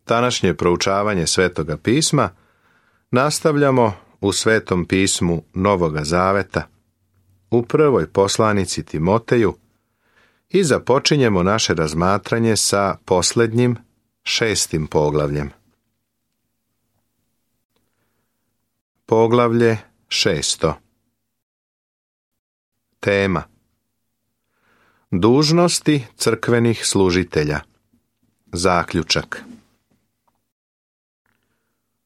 Današnje proučavanje Svetoga pisma nastavljamo u Svetom pismu Novoga Zaveta, u prvoj poslanici Timoteju i započinjemo naše razmatranje sa posljednjim 6. poglavljem. Poglavlje 6. Tema: dužnosti crkvenih služitelja. Zaključak: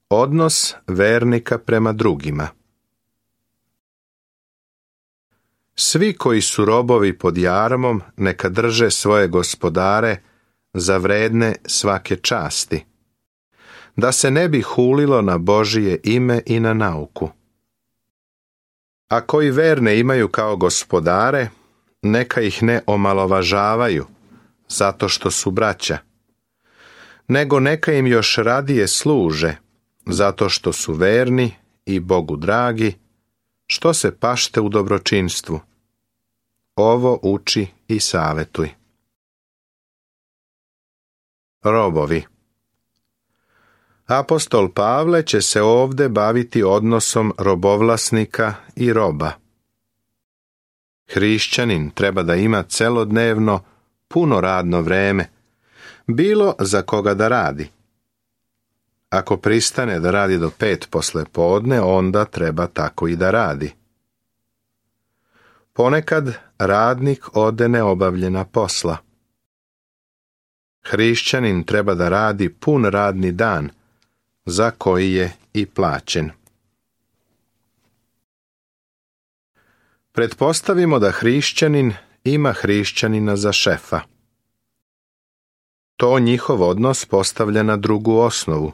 odnos vernika prema drugima. Svi koji su robovi pod jarmom neka drže svoje gospodare za vredne svake časti, da se ne bi hulilo na Božije ime i na nauku. A koji verne imaju kao gospodare, neka ih ne omalovažavaju zato što su braća, nego neka im još radije služe zato što su verni i Bogu dragi, što se pašte u dobročinstvu. Ovo uči i savjetuj. Robovi. Apostol Pavle će se ovdje baviti odnosom robovlasnika i roba. Hrišćanin treba da ima celodnevno puno radno vreme, bilo za koga da radi. Ako pristane da radi do 5 poslijepodne, onda treba tako i da radi. Ponekad radnik ode neobavljena posla. Hrišćanin treba da radi pun radni dan, za koji je i plaćen. Pretpostavimo da hrišćanin ima hrišćanina za šefa. To njihov odnos postavlja na drugu osnovu.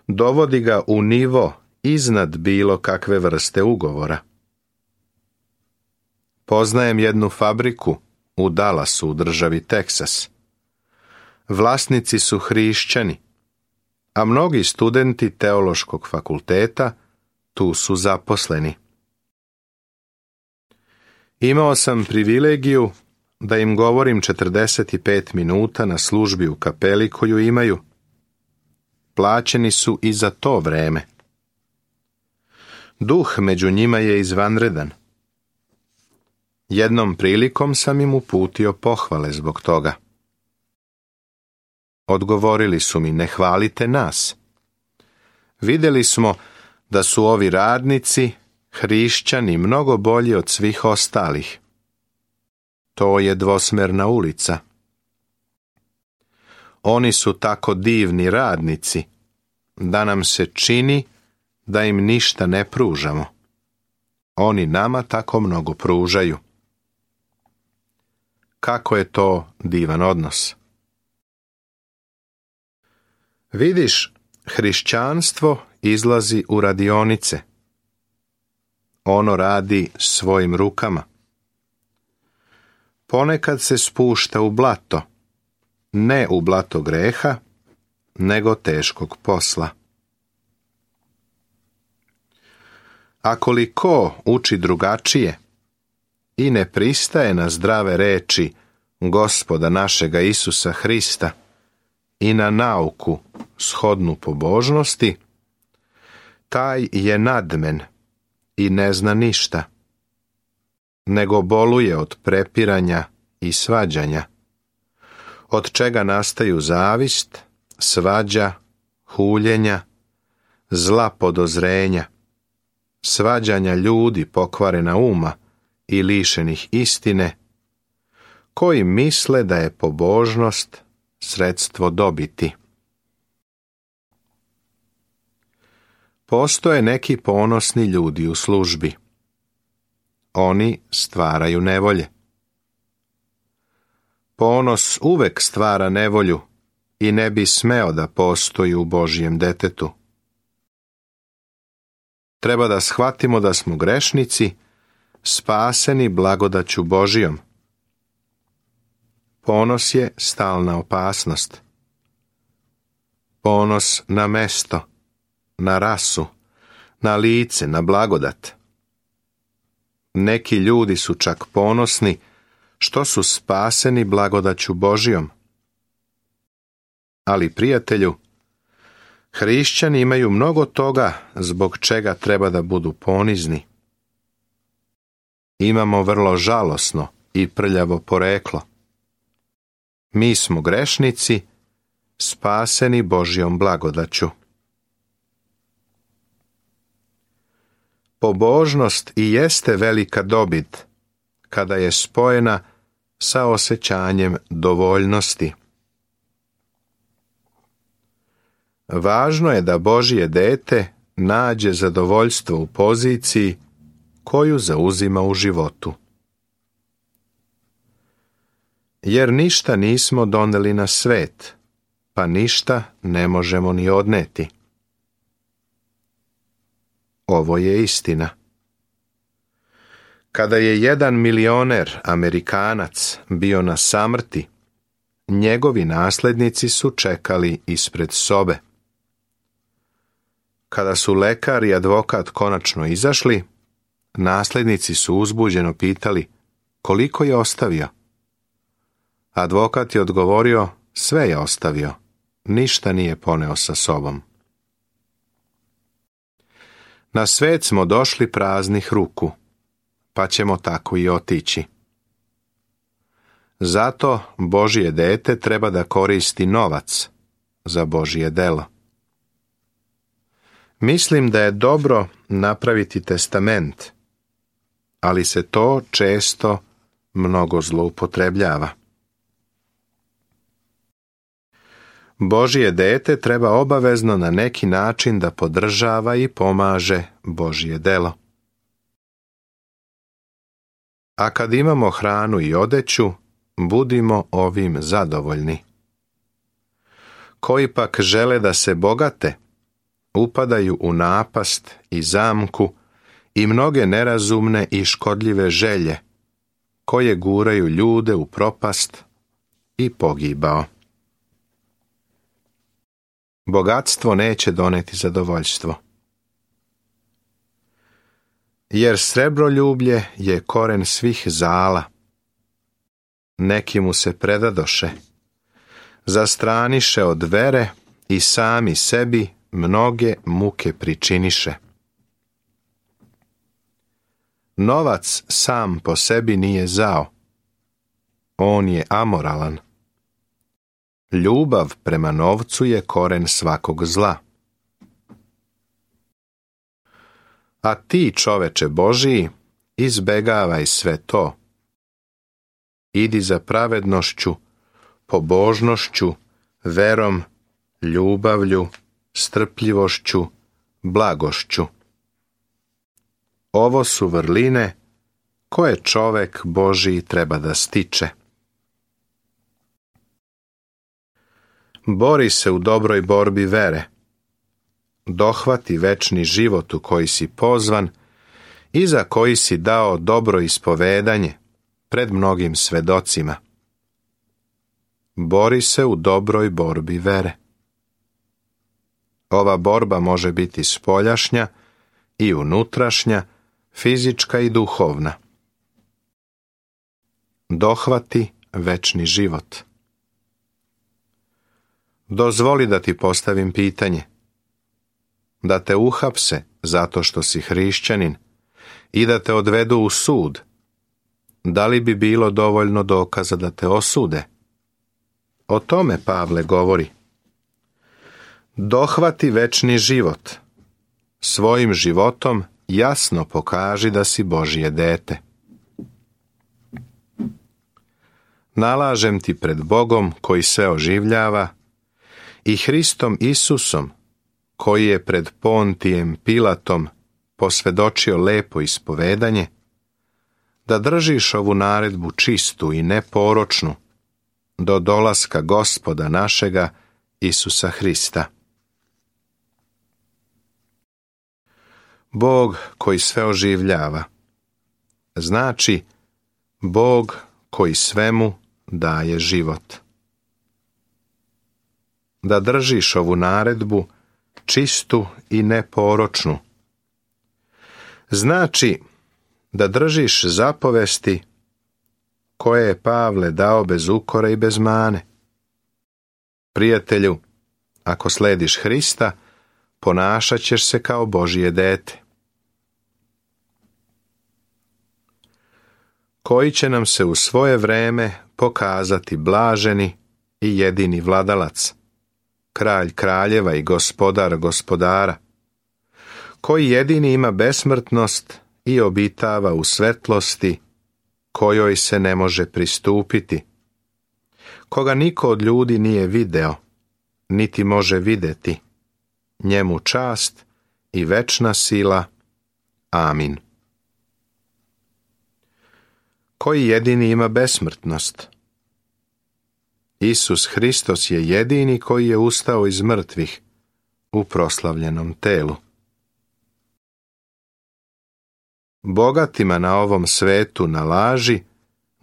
Dovodi ga u nivo iznad bilo kakve vrste ugovora. Poznajem jednu fabriku u Dallasu u državi Teksas. Vlasnici su hrišćani, a mnogi studenti teološkog fakulteta tu su zaposleni. Imao sam privilegiju da im govorim 45 minuta na službi u kapeli koju imaju. Plaćeni su i za to vreme. Duh među njima je izvanredan. Jednom prilikom sam im uputio pohvale zbog toga. Odgovorili su mi: ne hvalite nas. Vidjeli smo da su ovi radnici, hrišćani, mnogo bolji od svih ostalih. To je dvosmerna ulica. Oni su tako divni radnici da nam se čini da im ništa ne pružamo. Oni nama tako mnogo pružaju. Kako je to divan odnos. Vidiš, hrišćanstvo izlazi u radionice. Ono radi svojim rukama. Ponekad se spušta u blato, ne u blato greha, nego teškog posla. Ako li ko uči drugačije i ne pristaje na zdrave reči Gospoda našega Isusa Hrista i na nauku shodnu pobožnosti, taj je nadmen i ne zna ništa, nego boluje od prepiranja i svađanja, od čega nastaju zavist, svađa, huljenja, zla podozrenja, svađanja ljudi pokvarena uma i lišenih istine, koji misle da je pobožnost sredstvo dobiti. Postoje neki ponosni ljudi u službi. Oni stvaraju nevolje. Ponos uvek stvara nevolju i ne bi smeo da postoji u Božjem detetu. Treba da shvatimo da smo grešnici, spaseni blagodaću Božijom. Ponos je stalna opasnost. Ponos na mesto, na rasu, na lice, na blagodat. Neki ljudi su čak ponosni što su spaseni blagodaću Božijom. Ali, prijatelju, hrišćani imaju mnogo toga zbog čega treba da budu ponizni. Imamo vrlo žalosno i prljavo poreklo. Mi smo grešnici, spaseni Božjom blagodaću. Pobožnost i jeste velika dobit kada je spojena sa osjećanjem dovoljnosti. Važno je da Božje dete nađe zadovoljstvo u poziciji koju zauzima u životu. Jer ništa nismo doneli na svet, pa ništa ne možemo ni odneti. Ovo je istina. Kada je jedan milioner Amerikanac bio na samrti, njegovi naslednici su čekali ispred sobe. Kada su lekar i advokat konačno izašli, naslednici su uzbuđeno pitali koliko je ostavio. Advokat je odgovorio, sve je ostavio, ništa nije poneo sa sobom. Na svet smo došli praznih ruku, pa ćemo tako i otići. Zato Božje dete treba da koristi novac za Božje delo. Mislim da je dobro napraviti testament, ali se to često mnogo zloupotrebljava. Božje dete treba obavezno na neki način da podržava i pomaže Božje delo. A kad imamo hranu i odeću, budimo ovim zadovoljni. Koji pak žele da se bogate, upadaju u napast i zamku i mnoge nerazumne i škodljive želje, koje guraju ljude u propast i pogibao. Bogatstvo neće doneti zadovoljstvo. Jer srebroljublje je koren svih zala. Neki mu se predadoše, zastraniše od vere i sami sebi mnoge muke pričiniše. Novac sam po sebi nije zao. On je amoralan. Ljubav prema novcu je koren svakog zla. A ti, čoveče Božiji, izbegavaj sve to. Idi za pravednošću, pobožnošću, verom, ljubavlju, strpljivošću, blagošću. Ovo su vrline koje čovek Božiji treba da stiče. Bori se u dobroj borbi vere. Dohvati večni život u koji si pozvan i za koji si dao dobro ispovedanje pred mnogim svedocima. Bori se u dobroj borbi vere. Ova borba može biti spoljašnja i unutrašnja, fizička i duhovna. Dohvati večni život. Dozvoli da ti postavim pitanje. Da te uhapse zato što si hrišćanin i da te odvedu u sud, da li bi bilo dovoljno dokaza da te osude? O tome Pavle govori. Dohvati večni život. Svojim životom jasno pokaži da si Božje dete. Nalažem ti pred Bogom koji sve oživljava i Hristom Isusom koji je pred Pontijem Pilatom posvedočio lepo ispovedanje, da držiš ovu naredbu čistu i neporočnu do dolaska Gospoda našega Isusa Hrista. Bog koji sve oživljava, znači Bog koji svemu daje život. Da držiš ovu naredbu čistu i neporočnu, znači da držiš zapovesti koje je Pavle dao bez ukora i bez mane. Prijatelju, ako slediš Hrista, ponašat ćeš se kao Božje dete. Koji će nam se u svoje vreme pokazati blaženi i jedini vladalac, kralj kraljeva i gospodar gospodara, koji jedini ima besmrtnost i obitava u svetlosti kojoj se ne može pristupiti, koga niko od ljudi nije video, niti može vidjeti, njemu čast i večna sila. Amin. Koji jedini ima besmrtnost? Isus Hristos je jedini koji je ustao iz mrtvih u proslavljenom telu. Bogatima na ovom svetu nalaži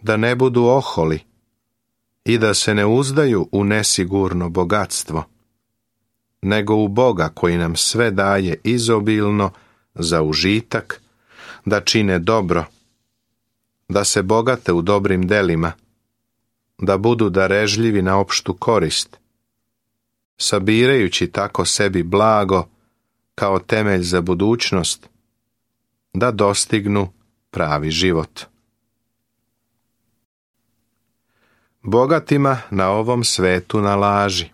da ne budu oholi i da se ne uzdaju u nesigurno bogatstvo, nego u Boga koji nam sve daje izobilno za užitak, da čine dobro, da se bogate u dobrim delima, da budu darežljivi na opštu korist, sabirajući tako sebi blago kao temelj za budućnost, da dostignu pravi život. Bogatima na ovom svetu nalaži.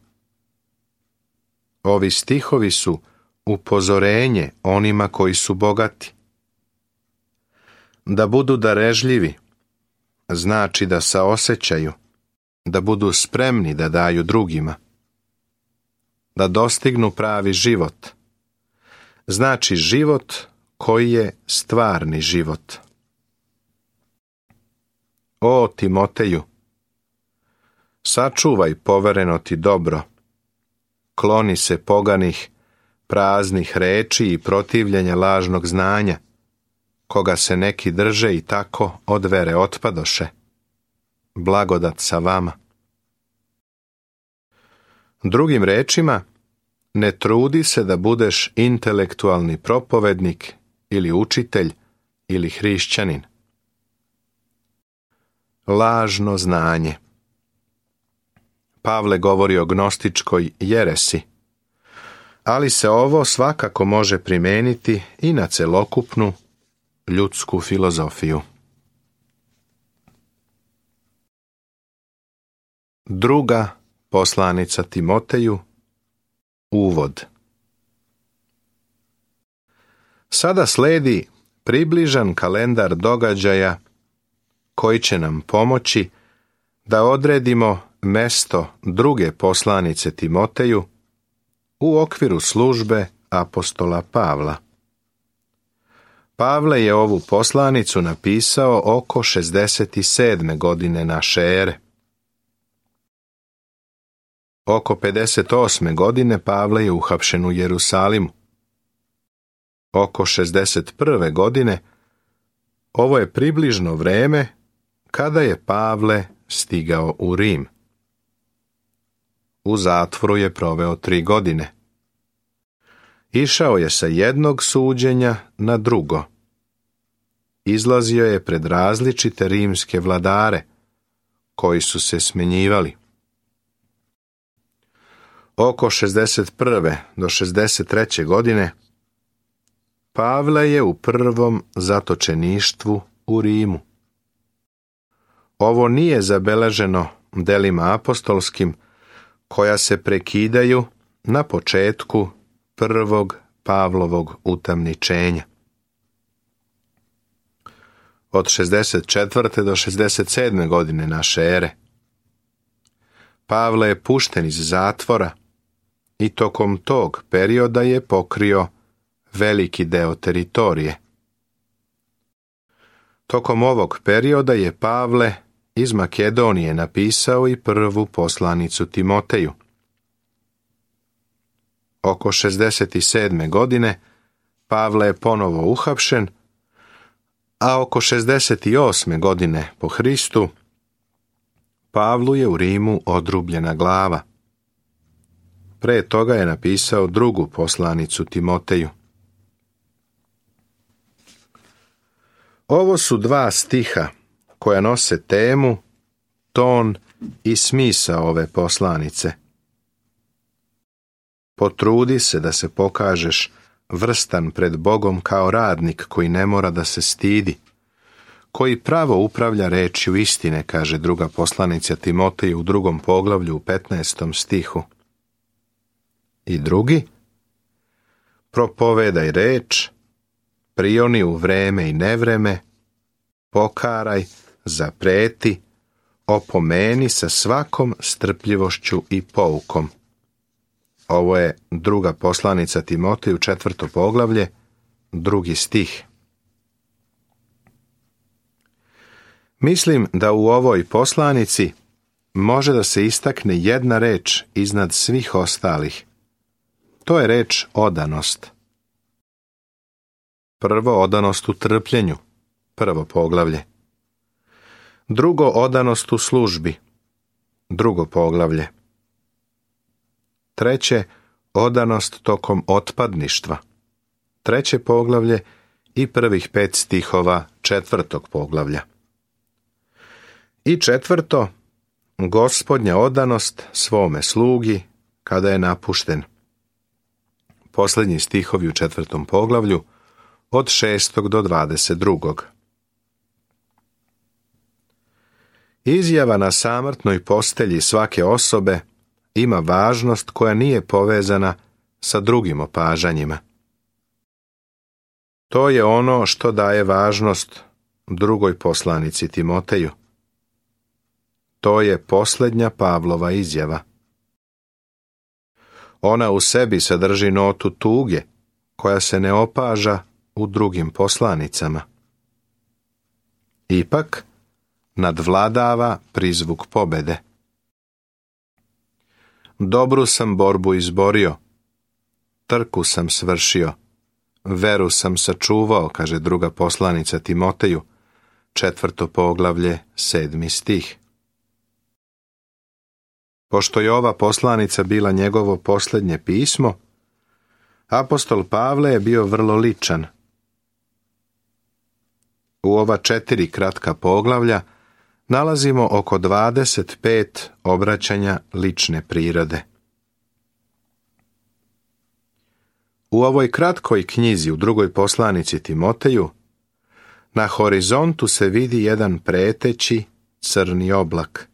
Ovi stihovi su upozorenje onima koji su bogati. Da budu darežljivi znači da saosećaju, da budu spremni da daju drugima. Da dostignu pravi život znači život koji je stvarni život. O Timoteju, sačuvaj povereno ti dobro, kloni se poganih, praznih reči i protivljenja lažnog znanja, koga se neki drže i tako od vere otpadoše. Blagodat sa vama. Drugim rečima, ne trudi se da budeš intelektualni propovednik ili učitelj ili hrišćanin. Lažno znanje. Pavle govori o gnostičkoj jeresi, ali se ovo svakako može primijeniti i na celokupnu ljudsku filozofiju. Druga poslanica Timoteju. Uvod. Sada sledi približan kalendar događaja koji će nam pomoći da odredimo mesto druge poslanice Timoteju u okviru službe apostola Pavla. Pavle je ovu poslanicu napisao oko 67. godine naše ere. Oko 58. godine Pavle je uhapšen u Jerusalimu. Oko 61. godine ovo je približno vreme kada je Pavle stigao u Rim. U zatvoru je proveo 3 godine. Išao je sa jednog suđenja na drugo. Izlazio je pred različite rimske vladare, koji su se smjenjivali. Oko 61. do 63. godine Pavle je u prvom zatočeništvu u Rimu. Ovo nije zabeleženo delima apostolskim koja se prekidaju na početku prvog Pavlovog utamničenja. Od 64. do 67. godine naše ere Pavle je pušten iz zatvora i tokom tog perioda je pokrio veliki deo teritorije. Tokom ovog perioda je Pavle iz Makedonije napisao i prvu poslanicu Timoteju. Oko 67. godine Pavle je ponovo uhapšen, a oko 68. godine po Hristu Pavlu je u Rimu odrubljena glava. Pre toga je napisao drugu poslanicu Timoteju. Ovo su 2 stiha koja nose temu, ton i smisao ove poslanice, Potrudi se da se pokažeš vrstan pred Bogom kao radnik koji ne mora da se stidi, koji pravo upravlja rečju istine, kaže druga poslanica Timoteju u 2. poglavlju u 15. stihu. I drugi, propovedaj reč, prioni u vreme i nevreme, pokaraj, zapreti, opomeni sa svakom strpljivošću i poukom. Ovo je druga poslanica Timoteju, 4. poglavlje, 2. stih. Mislim da u ovoj poslanici može da se istakne jedna reč iznad svih ostalih. To je reč odanost. Prvo, odanost u trpljenju, 1. poglavlje. Drugo, odanost u službi, 2. poglavlje. Treće, odanost tokom otpadništva, 3. poglavlje i prvih 5 stihova 4. poglavlja. I 4. Gospodnja odanost svome slugi kada je napušten. Posljednji stihovi u 4. poglavlju od 6. do 22. Izjava na samrtnoj postelji svake osobe ima važnost koja nije povezana sa drugim opažanjima. To je ono što daje važnost drugoj poslanici Timoteju. To je posljednja Pavlova izjava. Ona u sebi sadrži notu tuge koja se ne opaža u drugim poslanicama. Ipak, nadvladava prizvuk pobede. Dobru sam borbu izborio, trku sam svršio, veru sam sačuvao, kaže druga poslanica Timoteju, 4. poglavlje, 7. stih. Pošto je ova poslanica bila njegovo posljednje pismo, apostol Pavle je bio vrlo ličan. U ova 4 kratka poglavlja nalazimo oko 25 obraćanja lične prirode. U ovoj kratkoj knjizi u drugoj poslanici Timoteju na horizontu se vidi jedan preteći crni oblak.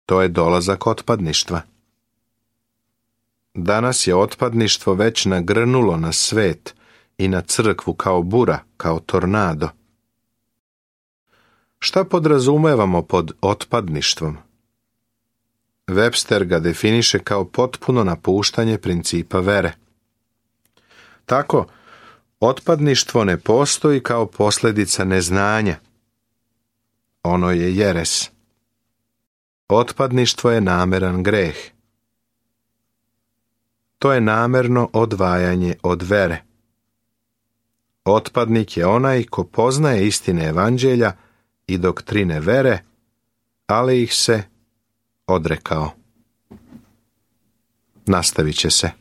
To je dolazak otpadništva. Danas je otpadništvo već nagrnulo na svet i na crkvu kao bura, kao tornado. Šta podrazumevamo pod otpadništvom? Webster ga definiše kao potpuno napuštanje principa vere. Tako, otpadništvo ne postoji kao posljedica neznanja. Ono je jeres. Otpadništvo je nameran greh. To je namerno odvajanje od vere. Otpadnik je onaj ko poznaje istine evanđelja i doktrine vere, ali ih se odrekao. Nastavit će se.